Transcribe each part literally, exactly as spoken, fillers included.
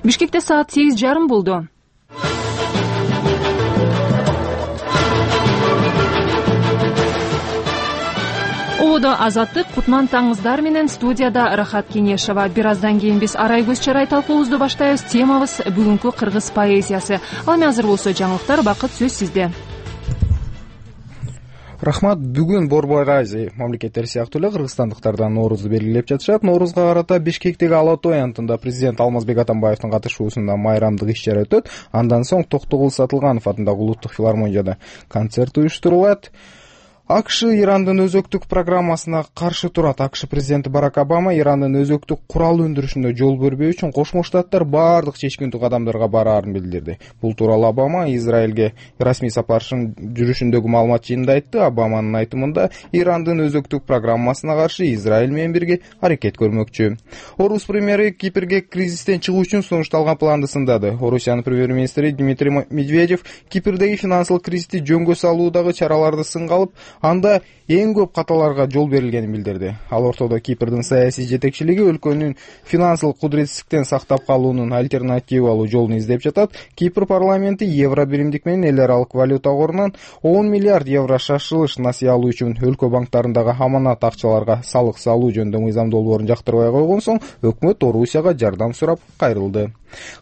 Бишкекте саат сегиз жарым болду. Ободо Азаттык, Кутман таңыздар менен студияда Рахат Кенешева. Бир аздан кийин биз арай көз чарай талкуубузду баштайбыз. Темабыз бүгүнкү кыргыз поэзиясы. Ал эми азыр болсо жаңылыктар, бакыт сөз сизде. Рахмат. Бүгүн Борбор-Азия мамлекеттери сыяктуу эле кыргызстандыктардан Ноорузду белгилеп жатышат. Ноорузга карата Бишкектеги Ала тоо аянтында президент Алмазбек Атамбаевдин катышуусунда майрамдык иш-чара өтөт. Андан соң Токтогул Сатылганов атындагы улуттук филармонияда концерт уюштурулат. АКШ Ирандын өзөктүк программасына каршы турат. АКШ президенти Барак Обама Ирандын өзөктүк курал өндүрүшүнө жол бербөө үчүн Кошмо Штаттар баардык чечкиндүү кадамдарга бараарын билдирди. Бул тууралуу Обама Израилге расмий сапарынын жүрүшүндөгү маалымат жыйынында айтты. Обаманын айтымында Ирандын өзөктүк программасына каршы Израиль менен бирге аракет көрмөкчү. Орус премьери Кипрге кризистен чыгуу үчүн сунушталган планды сындады. Орусиянын премьер-министри Дмитрий Медведев Кипрдеги финансылык кризисти жөнгө салуудагы чараларды сынга алып, анда эң көп каталарга жол берилгенин билдирди. Ал ортодо Кипрдин саясий жетекчилиги өлкөнүн финансылык кудуретсиздиктен сактап калуунун альтернативалуу жолун издеп жатат. Кипр парламенти евро биримдик менен эл аралык валюта корунан он миллиард евро шашылыш насыя алуу үчүн өлкө банктарындагы аманат акчаларга салык салуу жөнүндө мыйзам долбоорун жактырбай койгон соң өкмөт Орусияга жардам сурап кайрылды.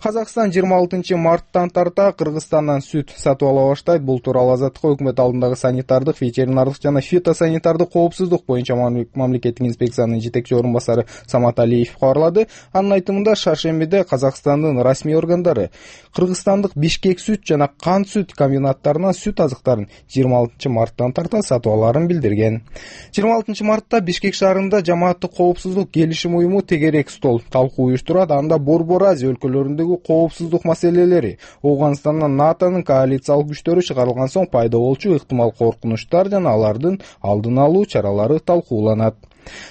Казакстан жыйырма алтынчы марттан тарта Кыргызстандан сүт сатып ала баштайт. Бул тууралуу Азаттыкка өкмөт алдындагы санитардык, ветеринардык жана фитосанитардык коопсуздук боюнча мамлекеттик инспекциянын жетекчи орун басары Самат Алиев кабарлады. Анын айтымында шаршембиде Казакстандын расмий органдары кыргызстандык Бишкек сүт жана Кант сүт комбинаттарынан сүт азыктарын жыйырма алтынчы марттан тарта сатып алаарын билдирген. жыйырма алтынчы мартта Бишкек шаарында жамааттык коопсуздук келишим уюму тегерек стол талкуу уюштурат. Анда Борбор-Азия өлкөлөрүндөгү коопсуздук маселелери, Ооганстандан НАТОнун коалициялык күчтөрү чыгарылган соң пайда болчу ыктымал коркунучтар жана алардын алдын алуу чаралары талкууланат.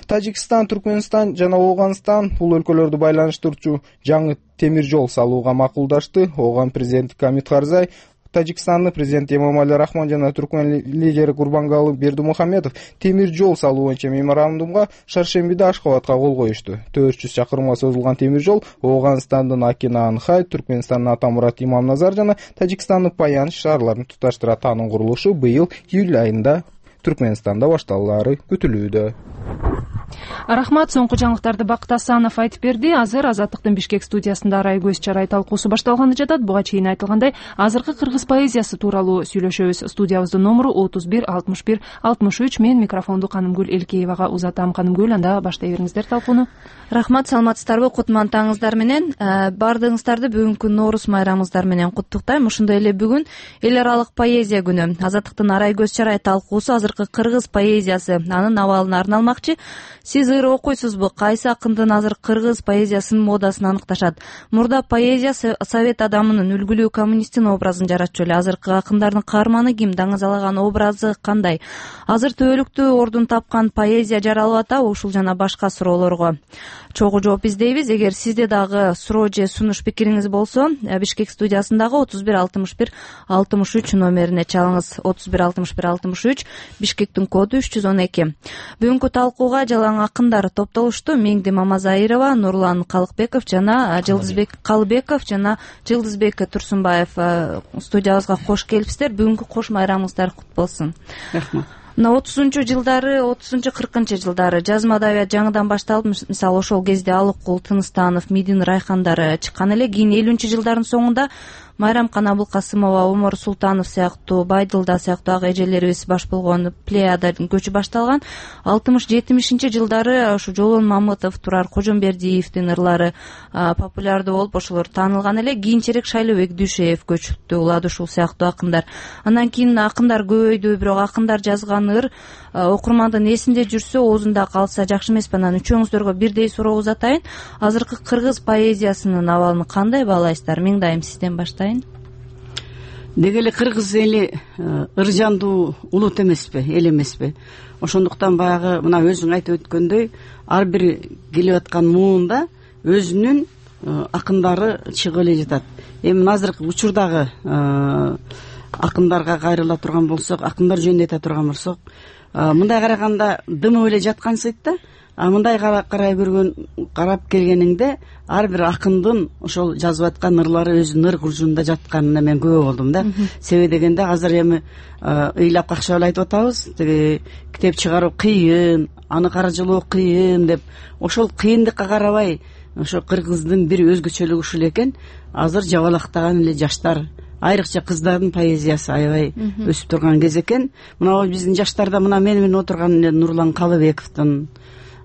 Тажикстан, Түркмөнстан жана Ооганстан бул өлкөлөрдү байланыштырчу жаңы темир жол салууга макулдашты. Ооган президенти Камит Карзай, Тажикстандын президенти Эмомали Рахмон жана Түркмөн лидери Курбангалы Бердимухамедов темир жол салуу боюнча меморандумга шаршембиде Ашхабадка кол коюшту. төрт жүз чакырымга созулган темир жол Ооганстандын Акинан-Хай, Түркмөнстандын Атамурат Имамназар жана Тажикстандын Паян шаарларын туташтырат. Анын курулушу быйыл июль айында Түркмөнстанда башталаары күтүлүүдө. Рахмат. Соңку жаңылыктарды Бакыт Асанов айтып берди. Азыр Азаттыктын Бишкек студиясында арай көз чарай талкуусу башталганы жатат. Буга чейин айтылгандай, азыркы кыргыз поэзиясы тууралуу сүйлөшөбүз. Студиябыздын номуру отуз бир алтымыш бир алтымыш үч. Мен микрофонду Канымгүл Элкеевага узатам. Канымгүл, анда баштай бериңиздер талкууну. Рахмат, саламатсыздарбы? Кутман таңыздар менен баардыгыңыздарды бүгүнкү Ноорус майрамыңыздар менен куттуктайм. Ошондой эле бүгүн эл аралык поэзия күнү. Азаттыктын арай көз чарай талкуусу азыркы кыргыз поэзиясы, анын абалына арналмакчы. Сиз ыр окуйсузбу? Кайсы акындын азыр кыргыз поэзиясынын модасын аныкташат? Мурда поэзия совет адамынын, үлгүлүү коммунисттин образын жаратчу эле. Азыркы акындардын каарманы ким? Даңазалаган образы кандай? Азыр төбөлүктүү ордун тапкан поэзия жаралып атабы? Ушул жана башка суроолорго чогуу жооп издейбиз. Эгер сизде дагы суроо же сунуш пикириңиз болсо, Бишкек студиясындагы отуз бир алтымыш бир алтымыш үч номерине чалыңыз. отуз бир алтымыш бир алтымыш үч, Бишкектин коду үч жүз он эки. Бүгүнкү талкууга жалаң акындар топтолушту. Меңди Мамазайырова, Нурлан Калыкбеков жана Жылдызбек Калыбеков жана Жылдызбек Турсунбаев студиябызга кош келипсиздер. Бүгүнкү кош майрамыңыздар кут болсун. Рахмат. Мына отузунчу жылдары, отузунчу кыркынчы жылдары жазма адабият жаңыдан башталып, мисалы ошол кезде Алыккул Тыныстанов, Мидин Райхандары чыккан эле. Кийин элүүнчү жылдардын соңунда Майрамкан Абылкасымова, Омор Султанов сыяктуу, Байдылда сыяктуу ак эжелерибиз баш болгон плеядадын көчү башталган. алтымыш жетимишинчи жылдары ушу Жолон Мамытов, Турар Кожомбердиевдин ырлары популярдуу болуп, ошолор таанылган эле. Кийинчерээк Шайлообек Дүйшеев көчүптү, улады ушул сыяктуу акындар. Андан кийин акындар көбөйдү, бирок акындар жазган ыр окурмандын эсинде жүрсө, оозунда калса жакшы эмеспи? Анан үчөөңүздөргө бирдей суроо узатайын. Азыркы кыргыз поэзиясынын абалын кандай баалайсыздар? Меңдайым, сизден баштайын. Деги эле кыргыз эли ыр жандуу улут эмеспи, эл эмеспи? Ошондуктан баягы мына өзүң айтып өткөндөй, ар бир келип аткан муунда өзүнүн акындары чыгып эле жатат. Эми азыркы учурдагы акындарга кайрыла турган болсок, акындар жөнүндө айта турган болсок, мындай караганда дымып эле жаткансыйт да. а мындай карай көргөн карап келгениңде ар бир акындын ошол жазып аткан ырлары өзүнүн ыр куржунунда жатканына мен күбө болдум да. Себеби дегенде азыр эми ыйлап какшап эле айтып атабыз, тиги китеп чыгаруу кыйын, аны каржылоо кыйын деп. Ошол кыйындыкка карабай ошо кыргыздын бир өзгөчөлүгү ушул экен. Азыр жабалактаган эле жаштар, айрыкча кыздардын поэзиясы аябай өсүп турган кез экен. Мына биздин жаштарда мына мени менен отурган эле Нурлан Калыбековдун,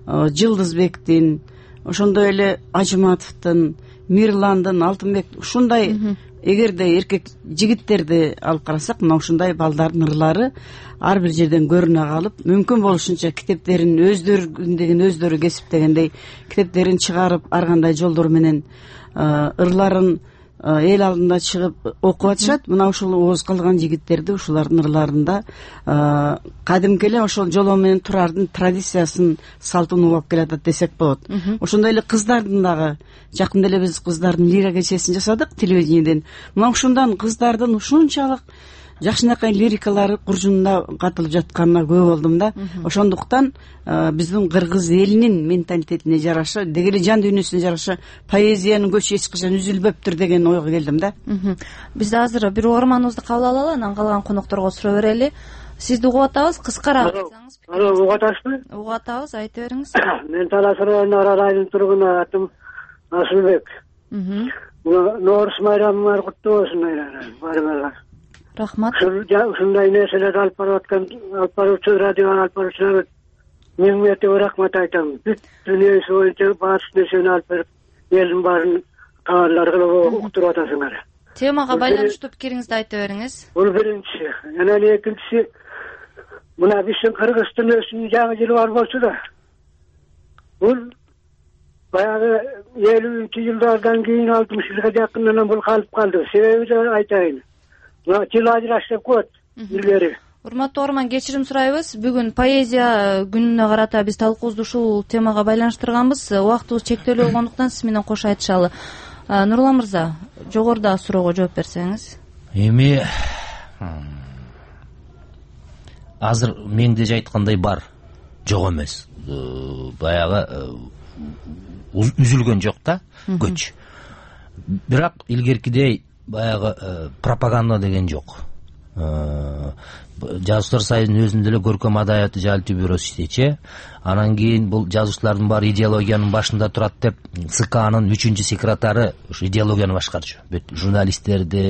Жылдызбектин, ошондой эле Ажыматовдун, Мирландын, Алтынбек ушундай эгерде эркек жигиттерди алып карасак, мына ушундай балдардын ырлары ар бир жерден көрүнө калып, мүмкүн болушунча китептерин өздөрүндөгүн өздөрү кесиптегендей китептерин чыгарып, ар кандай жолдор менен ырларын эл алдында чыгып окуп атышат. Мына ушул ооз калган жигиттерди ушулардын ырларында кадимки эле ошол жоло менен турардын традициясын, салтын улап келатат десек болот. Ошондой эле кыздардын дагы жакында эле биз кыздардын лира кечесин жасадык телевидениеден. Мына ушундан кыздардын ушунчалык жакшынакай лирикалары куржунунда катылып жатканына күбө болдум да. Ошондуктан биздин кыргыз элинин менталитетине жараша, деги эле жан дүйнөсүнө жараша поэзиянын көчү эч качан үзүлбөптүр деген ойго келдим да. Биз азыр бир угарманыбызды кабыл алалы, анан калган конокторго суроо берели. Сизди угуп атабыз, кыскараак айтсаңыз. Алло, угуп атасызбы? Угуп атабыз, айта бериңиз. Мен Талас районунун Арал айылынын тургуну, атым Асылбек. Нооруз майрамыңар куттуу болсун, баарыңарга. Рахмат. Ушундай нерселерди алып барып аткан, алып баруучу радиого алып баруучуларга миң миңдеп рахмат айтам. Бүт дүйнөсү боюнча баардык нерсени алып берип, элдин баарын кабарлар кылып уктуруп атасыңар. Темага байланыштуу пикириңизди айта бериңиз. Бул биринчи. Анан экинчиси, мына биздин Кыргыз дүйнөсүнүн жаңы жылы бар болчу да. Бул баягы элүүнчү жылдардан кийин алтымыш жылга жакынынан бул калып калды. Себебин айтайын. Жыл ажырашып коет илгери. Урматтуу угарман, кечирим сурайбыз. Бүгүн поэзия күнүнө карата биз талкуубузду ушул темага байланыштырганбыз. Убактыбыз чектелүү болгондуктан сиз менен кош айтышалы. Нурлан мырза, жогорудагы суроого жооп берсеңиз. Эми азыр менде айткандай бар, жок эмес. Баягы үзүлгөн жок да, көч. Бирок илгеркидей баягы пропаганда деген жок. Жазуучулар союзунун өзүндө эле көркөм адабияты жалпы бюросу иштечи. Анан кийин бул жазуучулардын баары идеологиянын башында турат деп ЦКнын үчүнчү секретары ушу идеологияны башкарчу. Бүт журналисттерди,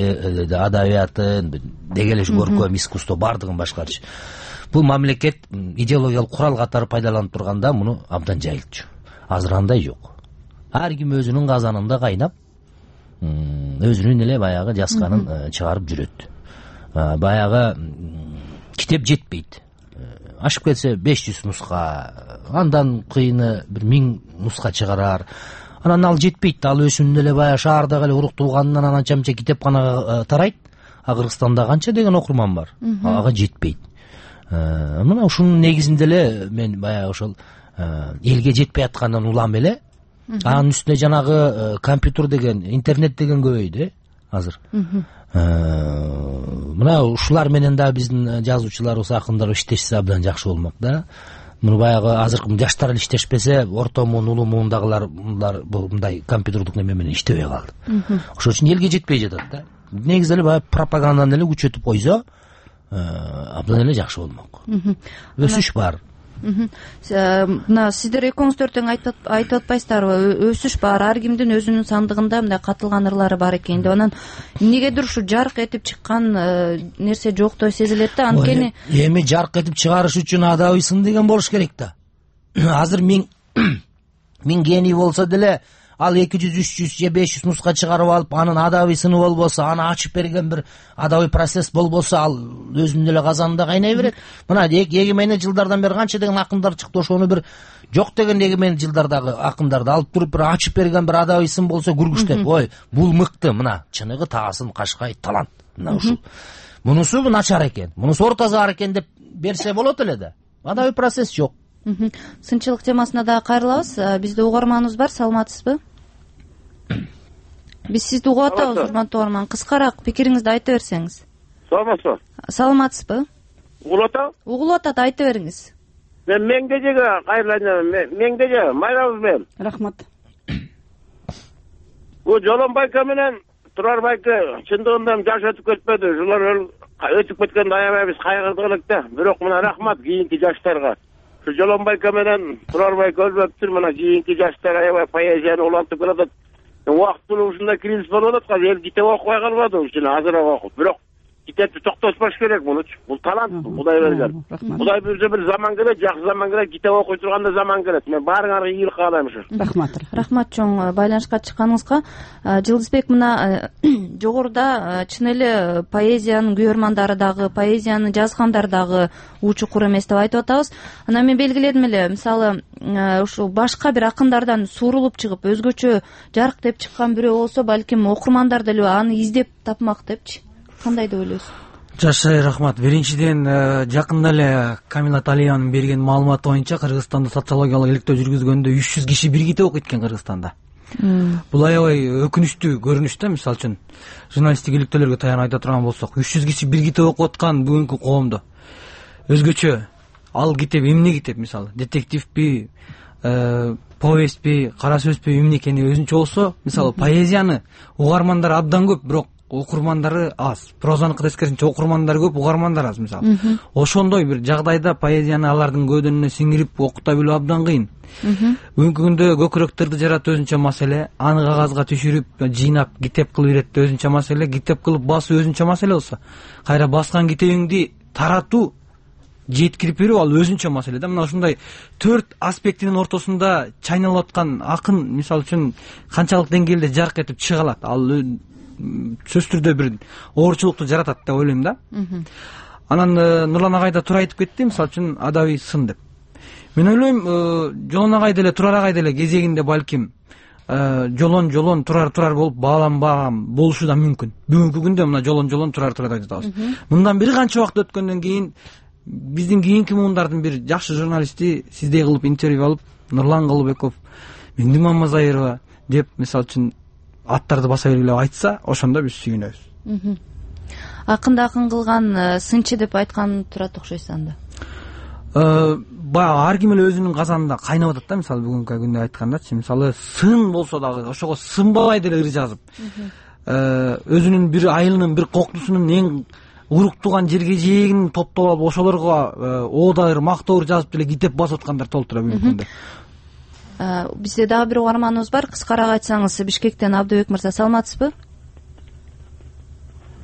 адабиятын, деги эле көркөм искусство бардыгын башкарчу. Бул мамлекет идеологиялык курал катары пайдаланып турганда муну абдан жайылтчу. Азыр андай жок. Ар ким өзүнүн казанында кайнап, өзүнүн эле баягы жазганын чыгарып жүрөт. Баягы китеп жетпейт. Ашып кетсе беш жүз нуска, андан кыйыны бир миң нуска чыгарар. Анан ал жетпейт. Ал өзүнүн эле баягы шаардагы эле уруктулганынан ананча мынча китепканага тарайт. А Кыргызстанда канча деген окурман бар. Ага жетпейт. Мына ушунун негизинде эле мен баягы ошол элге жетпей аткандан улам эле. Анын үстүнө жанагы компьютер деген, интернет деген көбөйдү азыр. Мына ушулар менен да биздин жазуучуларыбыз, акындарыбыз иштешсе абдан жакшы болмок да. Муну баягы азыркы жаштар эле иштешпесе, орто муун, улуу муундагылар мындай компьютердик неме менен иштебей калды. Ошон үчүн элге жетпей жатат да. Негизи эле баягы пропаганданы эле күчөтүп койсо, абдан эле жакшы болмок. Өсүш бар. Мына сиздер экөөңүздөр тең айтып атпайсыздарбы? Өсүш бар, ар кимдин өзүнүн сандыгында мындай катылган ырлары бар экен деп. Анан эмнегедир ушу жарк этип чыккан нерсе жоктой сезилет да. Анткени эми жарк этип чыгарыш үчүн адабыйсын деген болуш керек да. Азыр миң миң гений болсо деле ал эки жүз, үч жүз же беш жүз нуска чыгарып алып, анын адабыйсыны болбосо, аны ачып берген бир адабый процесс болбосо, ал өзүнүн эле казанында кайнай берет. Мына эгемений жылдардан бери канча деген акындар чыкты, ошону бир жок деген эгемений жылдардагы акындарды алып туруп бир ачып берген бир адабыйсын болсо күргүчтөп, ой, бул мыкты, мына чыныгы Таасын Кашкай талант. Мына ушул. Мунусу начар экен, мунусу ортасы бар экен деп берсе болот эле да. Адабый процесс жок. Сынчылык темасына дагы кайрылабыз. Бизде угарманыбыз бар, саламатсызбы? Биз сизди угуп атабыз, урматтуу угарман. Кыскараак пикириңизди айта берсеңиз. Саламатсызбы? Саламатсызбы? Угулуп атабы? Угулуп атат, айта бериңиз. мен меңдежеге кайрылайын меңдеже майрабыз мен рахмат. бул Жолон байке менен Турар байке чындыгында жаш өтүп кетпеди, ушулар өтүп кеткенди аябай биз кайгырдык элек да. Бирок мына рахмат кийинки жаштарга. Ушу Жолон байке менен Турар байке өлбөптүр, мына кийинки жаштар аябай поэзияны улантып келатат. Убактылуу ушундай кризис болуп атат, эл китеп окубай калбады, ушуну азыраак окуп. Бирок китепти токтотпош керек мунучу. Бул талант, Кудай берген. Кудай буйрса бир заман келет, жакшы заман келет, китеп окуй турганда заман келет. Мен баарыңарга ийгилик каалайм ушу. Рахмат. Рахмат чоң байланышка чыкканыңызга. Жылдызбек, мына жогоруда чын эле поэзиянын күйөрмандары дагы, поэзияны жазгандар дагы уу чукур эмес деп айтып атабыз. Анан мен белгиледим эле, мисалы ушул башка бир акындардан суурулуп чыгып, өзгөчө жарык деп чыккан бирөө болсо, балким окурмандар деле аны издеп тапмак депчи. Кандай деп ойлойсуз? Жашай, рахмат. Биринчиден, жакында эле Камила Талиянын берген маалыматы боюнча Кыргызстанда социологиялык иликтөө жүргүзгөндө үч жүз киши бир китеп окуйт экен Кыргызстанда. Бул аябай өкүнүчтүү көрүнүш да. Мисалы үчүн журналисттик иликтөөлөргө таянып айта турган болсок, үч жүз киши бир китеп окуп аткан бүгүнкү коомдо өзгөчө ал китеп эмне китеп, мисалы детективпи, повестпи, кара сөзбү, эмне экени өзүнчө болсо, мисалы поэзияны угармандар абдан көп, бирок окурмандары аз. Прозаныкы тескерисинче окурмандар көп, угармандар аз, мисалы. Ошондой бир жагдайда поэзияны алардын көөдөнүнө сиңирип окута билүү абдан кыйын. Бүгүнкү күндө көкүрөктөрдү жаратуу өзүнчө маселе, аны кагазга түшүрүп, жыйнап китеп кылып иретүү өзүнчө маселе, китеп кылып басуу өзүнчө маселе болсо, кайра баскан китебиңди таратуу, жеткирип берүү ал өзүнчө маселе да. Мына ушундай төрт аспектинин ортосунда чайналып аткан акын, мисалы үчүн канчалык деңгээлде жарык этип чыга алат, ал сөзсүз түрдө бир оорчулукту жаратат деп ойлойм да. Анан Нурлан агай да туура айтып кетти, мисалы үчүн адабий сын деп. Мен ойлойм, Жолон агай деле, Турар агай деле кезегинде балким жолон жолон турар турар болуп бааланбаган болушу да мүмкүн. Бүгүнкү күндө мына жолон жолон турар турар деп жатабыз. Мындан бир канча убакыт өткөндөн кийин биздин кийинки муундардын бир жакшы журналисти сиздей кылып интервью алып, Нурлан Калыбеков, Миңди Мамазайырова деп мисалы үчүн аттарды баса бергиле айтса, ошондо биз сүйүнөбүз. Акында акын кылган сынчы деп айткан турат окшойсуз анда. Баягы ар ким эле өзүнүн казанында кайнап атат да, мисалы бүгүнкү күндө айткандачы, мисалы сын болсо дагы ошого сынбабай деле ыр жазып, өзүнүн бир айылынын бир коктусунун эң уруктуган жерге жээгин топтоп алып ошолорго оода ыр мактоо ыр жазып деле китеп басып аткандар толтура бүгүнкү күндө. Бизде дагы бир угарманыбыз бар. Кыскараак айтсаңыз, Бишкектен Абдыбек мырза, саламатсызбы?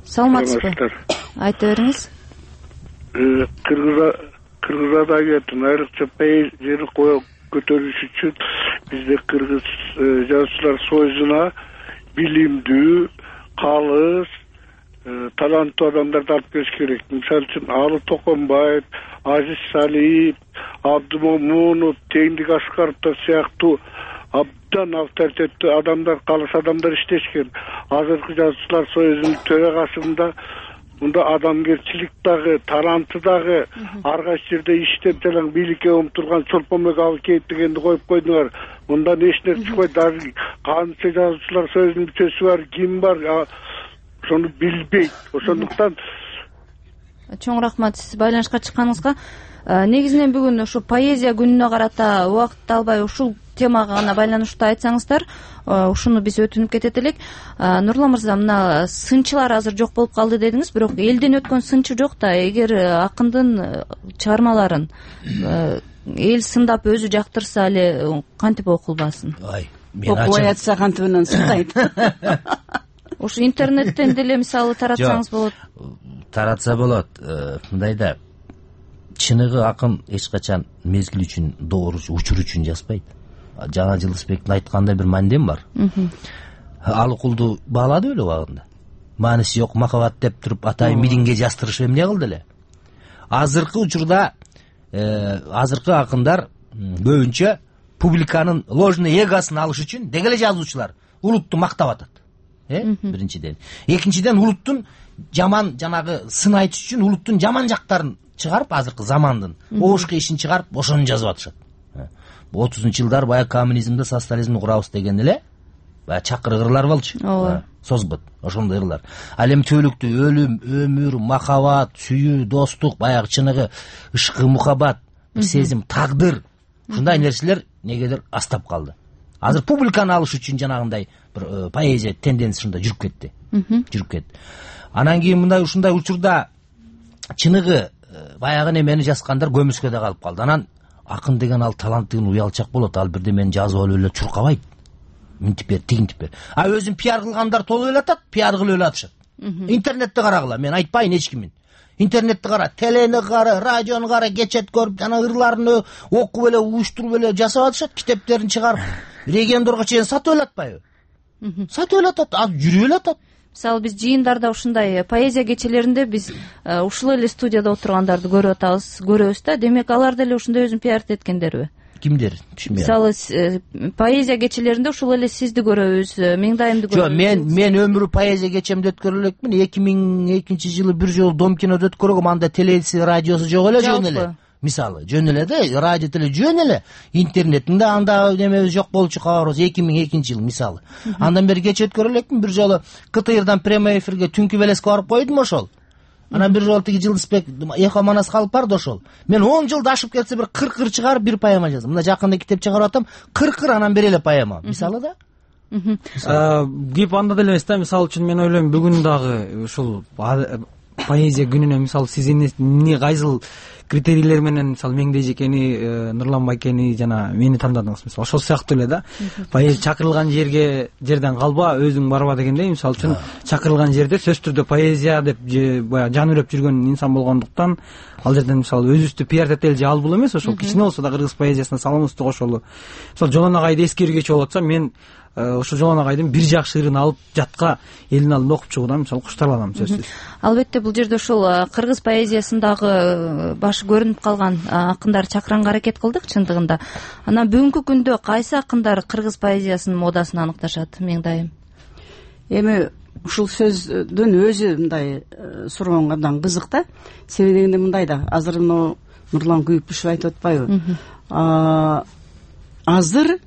Саламатсызбы? Айта бериңиз. Кыргыз Кыргыз адабиятын айрыкча поэзияны көтөрүш үчүн бизде Кыргыз жазуучулар союзуна билимдүү, калыс, таланттуу адамдарды алып келиш керек. Мисалы үчүн Алы Токонбаев, Азиз Салиев, Абдымомунов, Теңдик Аскаровдор сыяктуу абдан авторитеттүү адамдар, калыс адамдар иштешкен. Азыркы жазуучулар союзунун төрагасында мында адамгерчилик дагы, таланты дагы, ар кайсы жерде иштеп жалаң бийликке умтулган Чолпонбек Абылкеев дегенди коюп койдуңар. Мында эч нерсе чыкпайт. Дагы канча жазуучулар союзунун мүчөсү бар, ким бар, ошону билбейт. Ошондуктан чоң рахмат сиз байланышка чыкканыңызга. Негизинен бүгүн ушу поэзия күнүнө карата убакыт албай ушул темага гана байланыштуу айтсаңыздар, ушуну биз өтүнүп кетет элек. Нурлан мырза, мына сынчылар азыр жок болуп калды дедиңиз, бирок элден өткөн сынчы жок да. Эгер акындын чыгармаларын эл сындап өзү жактырса эле кантип окулбасын? Окубай атса кантип менен сындайт? Ушу интернеттен деле мисалы таратсаңыз болот. Таратса болот. Мындай да, чыныгы акын эч качан мезгил үчүн, доор учур үчүн жазбайт. Жана Жылдызбектин айткандай бир мандем бар. Алыкулду баалады беле убагында. Мааниси жок махабат деп туруп атайын мидиңге жастырышып эмне кылды эле. Азыркы учурда азыркы акындар көбүнчө публиканын ложный эгосын алыш үчүн деги эле жазуучулар улутту мактап атат. Э, биринчиден. Экинчиден, улуттун жаман жанагы сын айтыш үчүн улуттун жаман жактарын чыгарып, азыркы замандын оошко ишин чыгарып, ошону жазып атышат. отузунчу жылдар баягы коммунизмди, социализмди курабыз деген эле баягы чакыр ырлар болчу. Созбот, ошондой ырлар. Ал эми түбөлүктүү өлүм, өмүр, махабат, сүйүү, достук, баягы чыныгы ышкы мухаббат, бир сезим, тагдыр, ушундай нерселер негедир астап калды. Азыр публиканы алыш үчүн жанагындай бир поэзия тенденциясында жүрүп кетти. Жүрүп кетти. Анан кийин мындай ушундай учурда чыныгы баягы немени жазгандар көмүскөдө калып калды. Анан акын деген ал таланттын уялчак болот, ал бирде мени жазып алып эле чуркабайт. Мынтип бер, тигинтип бер. А өзүн пиар кылгандар толуп эле атат, пиар кылып эле атышат. Интернетти карагыла, мен айтпайын эч кимин. Интернетти кара, телени кара, радиону кара, кечет көрүп, жана ырларын окуп эле, уюштуруп эле жасап атышат, китептерин чыгарып, региондорго чейин сатып эле атпайбы? Сатып эле атат, азыр жүрүп эле атат. Мисалы биз жыйындарда ушундай поэзия кечелеринде биз ушул эле студияда отургандарды көрүп атабыз, көрөбүз да. Демек алар деле ушундай өзүн пиарт эткендерби? Кимдер? Түшүнбөйм. Мисалы поэзия кечелеринде ушул эле сизди көрөбүз, Меңдайымды көрөбүз. Жок, мен мен өмүрү поэзия кечемди өткөрө элекмин. эки миң экинчи жылы бир жолу Дом кинодо өткөргөм, анда телеси, радиосу жок эле, жөн эле. Мисалы, жөн эле да, радио теле жөн эле. Интернеттин да анда немебиз жок болчу, кабарыбыз эки миң экинчи жыл мисалы. Андан бери кече өткөрө элекмин, бир жолу КТРдан прямой эфирге Түнкү Белеске барып койдум ошол. Анан бир жолу тиги Жылдызбек Эхо Манас калып барды ошол. Мен он жылда ашып кетсе бир кырк ыр чыгарып бир поэма жаздым. Мына жакында китеп чыгарып атам, кырк ыр анан бери эле поэма. Мисалы да. Кеп анда деле эмес да, мисалы үчүн мен ойлойм бүгүн дагы ушул поэзия күнүнө мисалы сиз эмне кайсыл критерийлер менен мисалы Меңдей Жекени, Нурлан Байкени жана мени тандадыңыз мисалы ошол сыяктуу эле да. Поэзия чакырылган жерге жерден калба, өзүң барба дегендей, мисалы үчүн чакырылган жерде сөзсүз түрдө поэзия деп баягы жан үрөп жүргөн инсан болгондуктан ал жерден мисалы өзүбүздү пиар этели же ал бул эмес, ошол кичине болсо да кыргыз поэзиясына салымыбызды кошолу. Мисалы Жолон агайды эскергечи болуп атса, мен ошо Жолон агайдын бир жакшы ырын алып жатка элдин алдында окуп чыгуудан мисалы куштарланам сөзсүз. Албетте бул жерде ушул кыргыз поэзиясындагы башы көрүнүп калган акындар чакыранга аракет кылдык чындыгында. Анан бүгүнкү күндө кайсы акындар кыргыз поэзиясынын модасын аныкташат, Меңдайым? Эми ушул сөздүн өзү мындай сурооңо абдан кызык да. Себеби дегенде мындай да, азыр мына Нурлан Күйүкбүшев айтып атпайбы? Азыр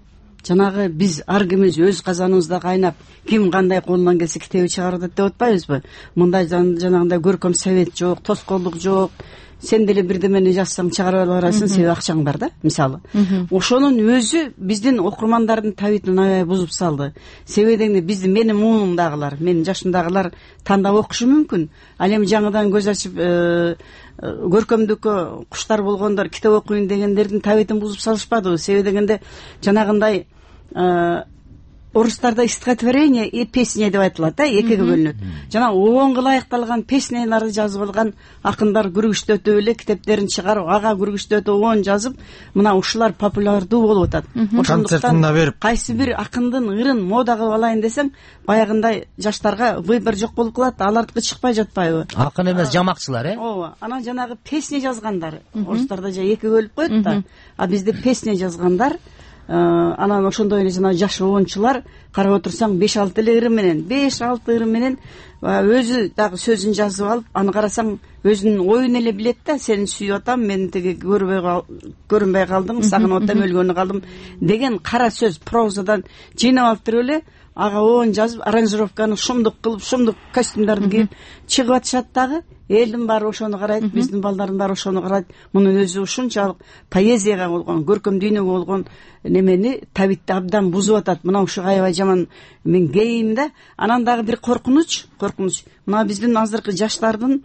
жанагы биз ар кимибиз өз казаныбызда кайнап, ким кандай колунан келсе китеби чыгарып атат деп атпайбызбы? Мындай жанагындай көркөм совет жок, тоскоолдук жок. Сен деле бирдемени жазсаң чыгарып ала берасың, себеби акчаң бар да, мисалы. Ошонун өзү биздин окурмандардын табитин аябай бузуп салды. Себеби дегенде биздин менин муунумдагылар, менин жашымдагылар тандап окушу мүмкүн. Ал эми жаңыдан көз ачып көркөмдүккө куштар болгондор китеп окуйн дегендердин табитин бузуп салышпадыбы? Себеби дегенде жанагындай орустарда стихотворение и песня деп айтылат да, экиге бөлүнөт. Жана оонго ылайыкталган песняларды жазып алган акындар күрүгүчтөтүп эле китептерин чыгарып, ага күрүгүчтөтүп оон жазып, мына ушулар популярдуу болуп атат. Ошондуктан кайсы бир акындын ырын мода кылып алайын десең, баягындай жаштарга выбор жок болуп калат, алардыкы чыкпай жатпайбы? Акын эмес, жамакчылар, э? Ооба. Анан жанагы песня жазгандар, орустарда же экиге бөлүп коет да. А бизде песня жазгандар, анан ошондой эле жана жаш оончулар карап отурсаң беш алты эле ырым менен, беш алты ырым менен өзү дагы сөзүн жазып алып, аны карасаң өзүнүн оюн эле билет да. Сени сүйүп атам, мен тиги көрбөй көрүнбөй калдым, сагынып атам, өлгөнү калдым деген кара сөз прозадан жыйнап алып туруп эле ага оон жазып, аранжировканы шумдук кылып, шумдук костюмдарды кийип чыгып атышат дагы. Элдин баары ошону карайт, биздин балдардын баары ошону карайт. Мунун өзү ушунчалык поэзияга болгон, көркөм дүйнөгө болгон немени, табитти абдан бузуп атат. Мына ушу аябай жаман мен кейим да. Анан дагы бир коркунуч, коркунуч. Мына биздин азыркы жаштардын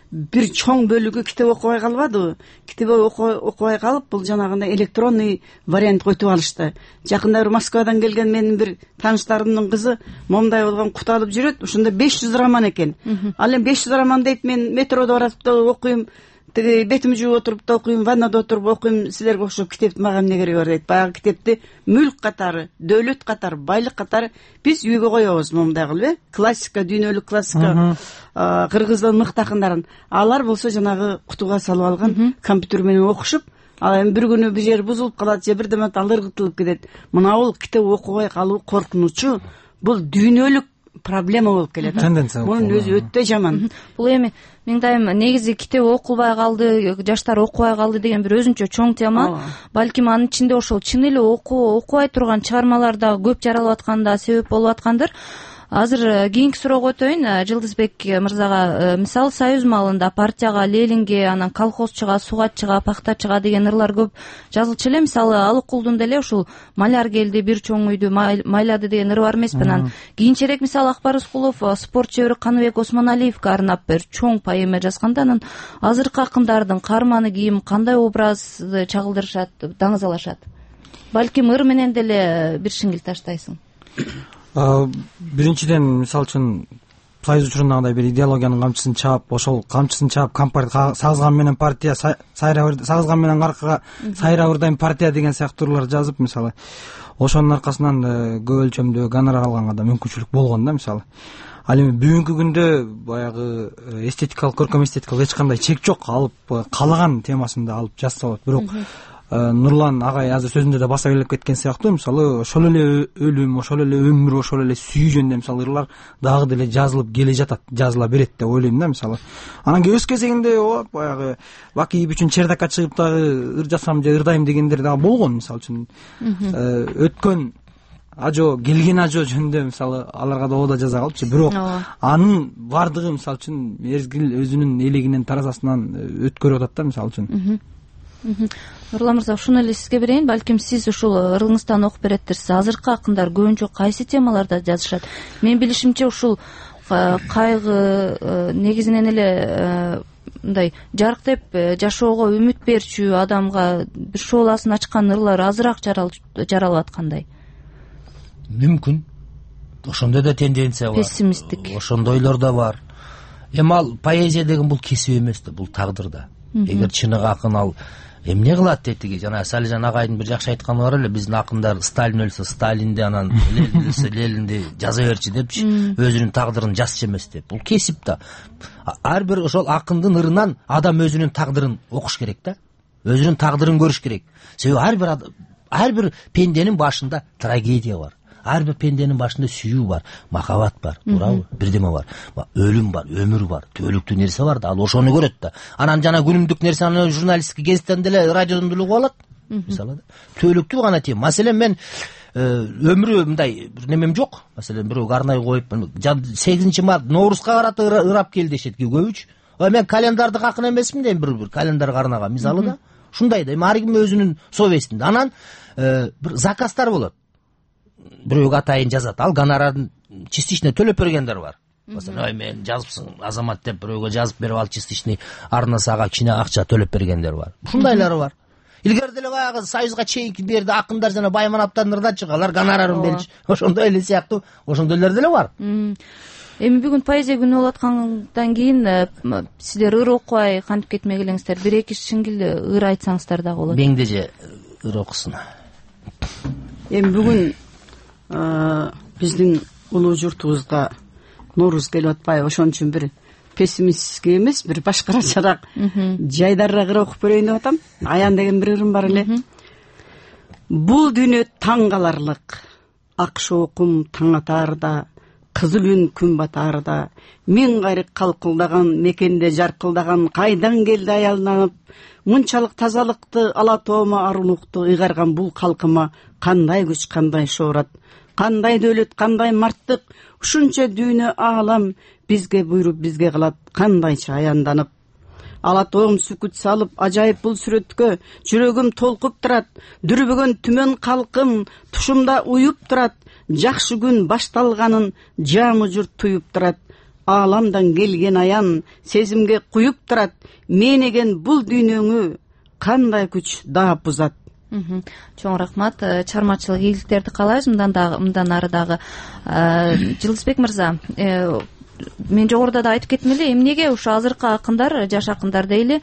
бир чоң бөлүгү китеп окубай калбадыбы? Китеп окубай калып, бул жанагындай электронный вариантка өтүп алышты. Жакында бир Москвадан келген менин бир тааныштарымдын кызы момундай болгон кут алып жүрөт. Ошондо беш жүз роман экен. Ал эми беш жүз роман дейт, мен метродо баратып да окуйм, тиги бетимди жууп отуруп да окуйм, ваннада отуруп окуйм, силерге окшоп китептин мага эмне кереги бар дейт. Баягы китепти мүлк катары, дөөлөт катары, байлык катары биз үйгө коебуз момундай кылып, э? Классика, дүйнөлүк классика, кыргыздын мыкты акындарын. Алар болсо жанагы кутуга салып алган компьютер менен окушуп, ал эми бир күнү бир жери бузулуп калат, же бир демет ал ыргытылып кетет. Мына бул китеп окубай калуу коркунучу, бул дүйнөлүк проблема болуп келет. Мунун өзү өтө жаман. Бул эми Меңдайым негизи китеп окулбай калды, жаштар окубай калды деген бир өзүнчө чоң тема. Балким анын ичинде ошол чын эле окубай турган чыгармалар да көп жаралып атканда себеп болуп аткандыр. азыр кийинки суроого өтөйүн. Жылдызбек мырзага мисалы союз маалында партияга, Ленинге, анан колхозчуга, сугатчыга, пактачыга деген ырлар көп жазылчу эле. Мисалы Алыкулдун деле ушул маляр келди, бир чоң үйдү майлады деген ыры бар эмеспи. Анан кийинчерээк мисалы Акбар Рыскулов спорт чебери Каныбек Осмоналиевге арнап бир чоң поэма жазганда, анан азыркы акындардын каарманы ким, кандай образды чагылдырышат, даңазалашат? Балким ыр менен деле бир шиңил таштайсың. Биринчиден, мисалы үчүн союз учурундагыдай бир идеологиянын камчысын чаап, ошол камчысын чаап компартия сагызган менен партия сайра сагызган менен аркага сайра ырдайм партия деген сыяктуулар жазып, мисалы ошонун аркасынан көп өлчөмдө гонорар алганга да мүмкүнчүлүк болгон да. Мисалы ал эми бүгүнкү күндө баягы эстетикалык, көркөм эстетикалык эч кандай чек жок, алып каалаган темасында алып жазса болот. Бирок Нурлан агай азыр сөзүндө да баса белгилеп кеткен сыяктуу, мисалы ошол эле өлүм, ошол эле өмүр, ошол эле сүйүү жөнүндө мисалы ырлар дагы деле жазылып келе жатат, жазыла берет деп ойлойм да. Мисалы анан өз кезегинде ооп баягы Бакиев үчүн чердакка чыгып дагы ыр жазсам же ырдайм дегендер дагы болгон. Мисалы үчүн өткөн ажо, келген ажо жөнүндө мисалы аларга да оода жаза калчу. Бирок анын бардыгы мисалы үчүн мезгил өзүнүн элегинен таразасынан өткөрүп атат да. Мисалы үчүн Нурлан мырза, ушуну эле сизге берейин. Балким сиз ушул ырыңыздан окуп беретсиз. Азыркы акындар көбүнчө кайсы темаларда жазышат? Мен билишимче ушул кайгы, негизинен эле мындай жарыктеп жашоого үмүт берчү, адамга бир шооласын ачкан ырлар азыраак жаралып аткандай. Мүмкүн. Ошондой да тенденция бар. Пессимисттик. Ошондойлор да бар. Эми ал поэзия деген бул кесип эмес да, бул тагдыр да. Эгер чыныгы акын ал эмне кылат дейтиги, жана Салижан агайдын бир жакшы айтканы бар эле, биздин акындар Сталин өлсө Сталинди, анан Ленин өлсө Ленинди жаза берчи депчи, өзүнүн тагдырын жазчу эмес деп. Бул кесип да. Ар бир ошол акындын ырынан адам өзүнүн тагдырын окуш керек да, өзүнүн тагдырын көрүш керек. Себеби ар бир ар бир пенденин башында трагедия бар. Ар бир пенденин башында сүйүү бар, махаббат бар, туурабы? Бирдеме бар. Өлүм бар, өмүр бар, түбөлүктүү нерсе бар да, ал ошону көрөт да. Анан жана күнүмдүк нерсени журналисттик гезиттен деле, радиодон деле угуп алат. Мисалы да. Түбөлүктүү гана тема. Маселен мен өмүрү мындай бир немем жок. Маселен бирөөгө арнайы коюп, сегизинчи март Ноорузга карата ырап кел дешет көбүч. Мен календардык акын эмесмин дейм, бир календарга арнаган. Мисалы да. Ушундай да. Ар ким өзүнүн совестинде. Анан бир заказдар болот. Бирөөгө атайын жазат, ал гонорарын частично төлөп бергендер бар. Маселен, ой мен жазыпсың Азамат деп бирөөгө жазып берип, ал частичный арнасы ага кичине акча төлөп бергендер бар. Ушундайлары бар. Илгери деле баягы союзга чейинки берди акындар жана Байманаптан ырдачы, алар гонорарын берчү. Ошондой эле сыяктуу, ошондойлор деле бар. Эми бүгүн поэзия күнү болуп аткандан кийин сиздер ыр окубай кантип кетмек элеңиздер? Бир эки шиңгил ыр айтсаңыздар дагы болот. Меңдеже ыр окусун. Эми бүгүн биздин улуу журтубузга Нооруз келип атпайбы, ошон үчүн бир пессимистке эмес, бир башкачараак, жайдарыраак ыр окуп берейин деп атам. Аян деген бир ырым бар эле. Бул дүйнө таң каларлык, ак шоокум таң атаарда, кызыл үн күн батаарда, миң кайрык калкылдаган мекенде жаркылдаган, кайдан келди аялданып, мынчалык тазалыкты, ала тоома арулукту ыйгарган бул калкыма кандай күч, кандай шоорат, кандай дөөлөт, кандай марттык, ушунча дүйнө аалам бизге буйруп бизге калат, кандайча аянданып. Ала тоом сүкүт салып, ажайып бул сүрөткө жүрөгүм толкуп турат, дүрбөгөн түмөн калкым тушумда уюп турат, жакшы күн башталганын жамы журт туюп турат, ааламдан келген аян сезимге куюп турат, менеген бул дүйнөңү кандай күч даап бузат. Чоң рахмат, чыгармачылык ийгиликтерди каалайбыз мындан дагы, мындан ары дагы. Жылдызбек мырза, мен жогоруда да айтып кеттим эле, эмнеге ушу азыркы акындар, жаш акындар дейли,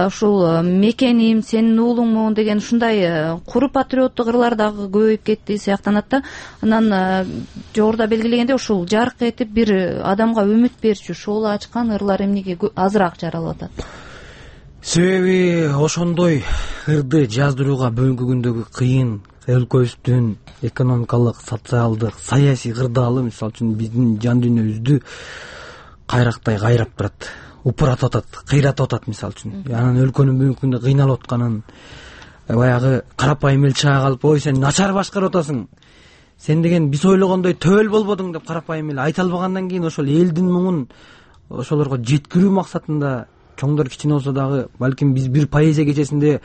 ушул мекеним, сенин уулуңмун деген ушундай куру патриоттук ырлар дагы көбөйүп кетти сыяктанат да. Анан жогоруда белгилегендей ушул жарк этип бир адамга үмүт берчү, шоолу ачкан ырлар эмнеге азыраак жаралып атат? Себеби ошондой ырды жаздырууга бүгүнкү күндөгү кыйын өлкөбүздүн экономикалык, социалдык, саясий кырдаалы, мисалы үчүн биздин жан дүйнөбүздү кайрактай кайрап турат, упуратып атат, кыйратып атат мисалы үчүн. Анан өлкөнүн бүгүнкү күндө кыйналып атканын, баягы карапайым эл чыга калып, ой сен начар башкарып атасың, сен деген биз ойлогондой төбөл болбодуң деп карапайым эле айта албагандан кийин ошол элдин муңун ошолорго жеткирүү максатында чоңдор кичине болсо дагы балким биз бир поэзия кечесинде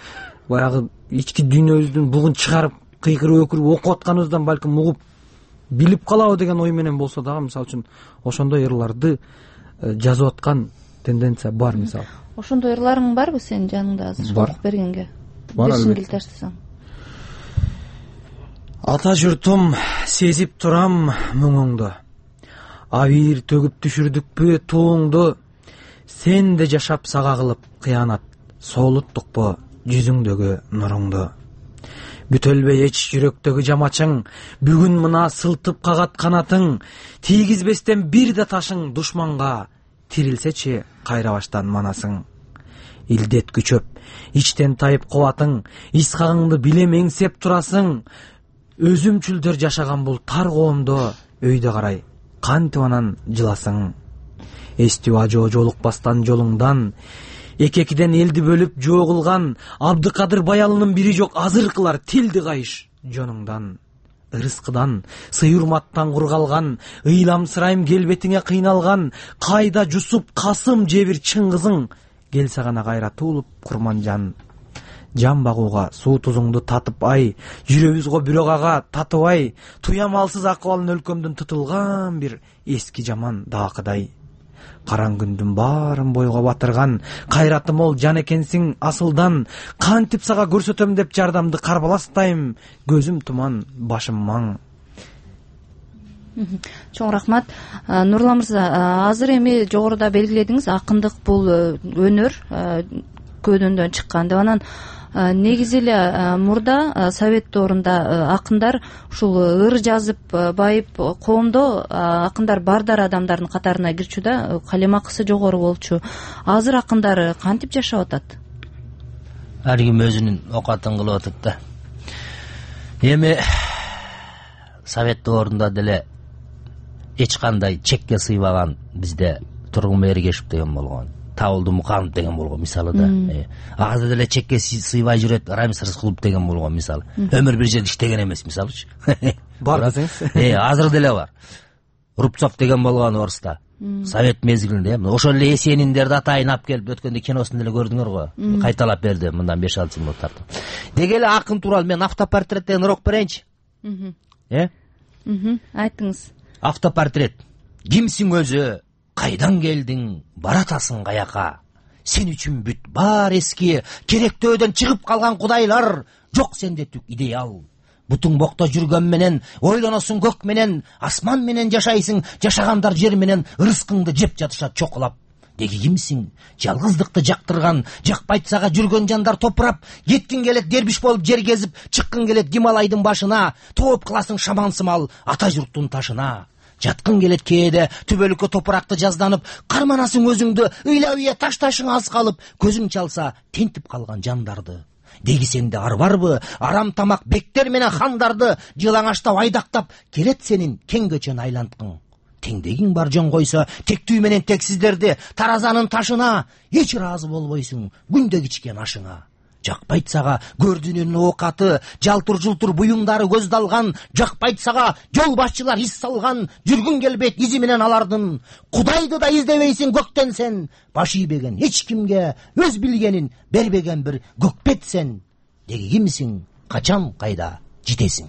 баягы ички дүйнөбүздүн бугун чыгарып кыйкырып өкүрүп окуп атканыбыздан балким угуп билип калабы деген ой менен болсо дагы мисалы үчүн ошондой ырларды жазып аткан тенденция бар. Мисалы ошондой ырларың барбы сенин жаныңда азыр окуп бергенге? Бешин келтирсең. Ата журтум, сезип турам муңуңду, абийир төгүп түшүрдүкпү тууңду, сен да жашап сага кылып кыянат, соолуттукпу жүзүңдөгү нуруңду. Бүтөлбөй эч жүрөктөгү жамачың, бүгүн мына сылтып кагат канатың, тийгизбестен бир да ташың душманга, тирилсечи кайрабаштан манасың. Илдет күчөп, ичтен тайып кубатың, исхагыңды билем эңсеп турасың, өзүмчүлдөр жашаган бул тар коомдо өйдө карай кантип анан жыласың. Эстип ажоо жолукпастан жолуңдан, эки-экиден элди бөлүп жоо кылган Абдыкадыр Баялынын бири жок азыркылар тилди кайыш жонуңдан. Ырыскыдан, сый-урматтан кургалган, ыйламсырайм келбетиңе кыйналган, кайда Жусуп, Касым же бир Чыңгызың, келсе гана кайра туулуп курманжан. Жан багууга суу тузуңду татып ай, жүрөбүз го бирок ага татып ай, туямалсыз акыбалын өлкөмдүн тутулган бир эски жаман даакыдай. Караң күндүн баарын бойго батырган, кайраты мол жан экенсиң асылдан, кантип сага көрсөтөм деп жардамды карбаластайм, көзүм туман, башым маң. Чоң рахмат. Нурлан мырза, азыр эми жогоруда белгиледиңиз, акындык бул өнөр, көөдөнөн чыккан деп. Анан негизи эле мурда совет доорунда акындар ушул ыр жазып байып коомдо акындар бардар адамдардын катарына кирчү да, калем акысы жогору болчу. Азыр акындар кантип жашап атат? Ар ким өзүнүн окатын кылып атат да. Эми совет доорунда деле эч кандай чекке сыйбаган бизде Тургун Эргешев деген болгон, Табылды Муканов деген болгон мисалы да. Азыр деле чекке сыйбай жүрөт Рамис Рыскулов деген болгон мисалы. Өмүр бир жерде иштеген эмес мисалычы. Бар десеңиз. Э, азыр деле бар. Рубцов деген болгон Оруста. Совет мезгилинде, ошол эле Эсениндерди атайын алып келип өткөндө киносун деле көрдүңөр го. Кайталап берди мындан беш алты жыл тартып. Деги эле акын тууралуу мен автопортреттен урок берейинчи. Э? Айтыңыз. Автопортрет. Кимсиң өзү? Кайдан келдиң, баратасың каяка? Сен үчүн бүт бар эски, керектөөдөн чыгып калган кудайлар, жок сенде түк идеал. Бутуң бокто жүргөн менен, ойлоносуң көк менен, асман менен жашайсың, жашагандар жер менен, ырыскыңды жеп жатышат чокулап. Деги кимсиң? Жалгыздыкты жактырган, жакпайт сага жүргөн жандар топурап, кеткиң келет дербиш болуп жер кезип, чыккың келет Гималайдын башына, тооп кыласың шамансымал ата журттун ташына. Жаткың келет кээде түбөлүккө топуракты жазданып, карманасың өзүңдү, ыйлап таш ташыңа аз калып, көзүң чалса тентип калган жандарды. Деги сенде ар барбы, арам тамак бектер менен хандарды жылаңаштап айдактап, келет сенин кең көчөнү айланткың. Теңдегиң бар жон койсо, тектүү менен тексиздерди таразанын ташына, эч ыраазы болбойсуң күндө кичкен ашыңа. Жакпайт сага көрдүнүн оокаты, жалтыр-жултур буюмдары көздалган, жакпайт сага жол башчылар ис салган, жүргүң келбейт изи менен алардын. Кудайды да издебейсиң көктөн сен, баш ийбеген эч кимге өз билгенин бербеген бир көкпет сен. Деги кимсиң, качан кайда жетесиң?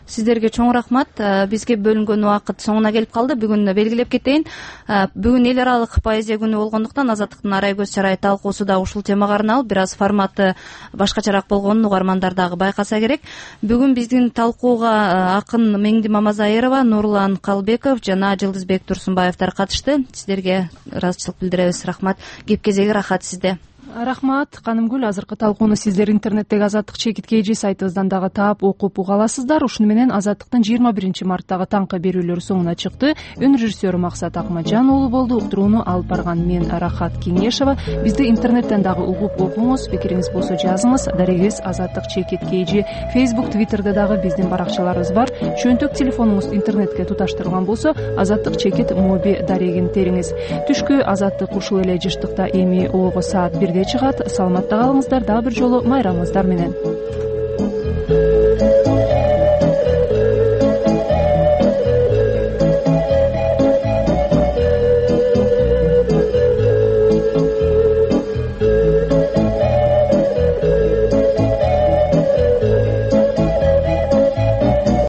Сиздерге чоң рахмат. Бизге бөлүнгөн убакыт соңуна келип калды. Бүгүн белгилеп кетейин. Бүгүн эл аралык поэзия күнү болгондуктан Азаттыктын Арай көз чарай талкуусу да ушул темага арналып, бир аз форматы башкачараак болгонун угармандар дагы байкаса керек. Бүгүн биздин талкууга акын Меңди Мамазайырова, Нурлан Калбеков жана Жылдызбек Турсунбаевдер катышты. Сиздерге ыраазычылык билдиребиз. Рахмат. Кеп кезеги рахат сизде. Рахмат. Канымгүл, азыркы талкууну сиздер интернеттеги Азаттык чекит kg сайтыбыздан дагы таап окуп уга аласыздар. Ушуну менен Азаттыктын жыйырма биринчи марттагы таңкы берүүлөрү соңуна чыкты. Өн режиссеру Максат Акмаджан уулу болду. Уктурууну алып барган мен Рахат Кеңешова. Бизди интернеттен дагы угуп окуңуз. Пикириңиз болсо жазыңыз. Дарегибиз Азаттык чекит kg. Facebook, Twitterде дагы биздин баракчаларыбыз бар. Чөнтөк телефонуңуз интернетке туташтырылган болсо, Азаттык чекит моби дарегин териңиз. Түшкү Азаттык ушул эле жыштыкта эми ого саат бирде чыгат. Саламатта калыңыздар. Дагы бир жолу майрамыңыздар менен.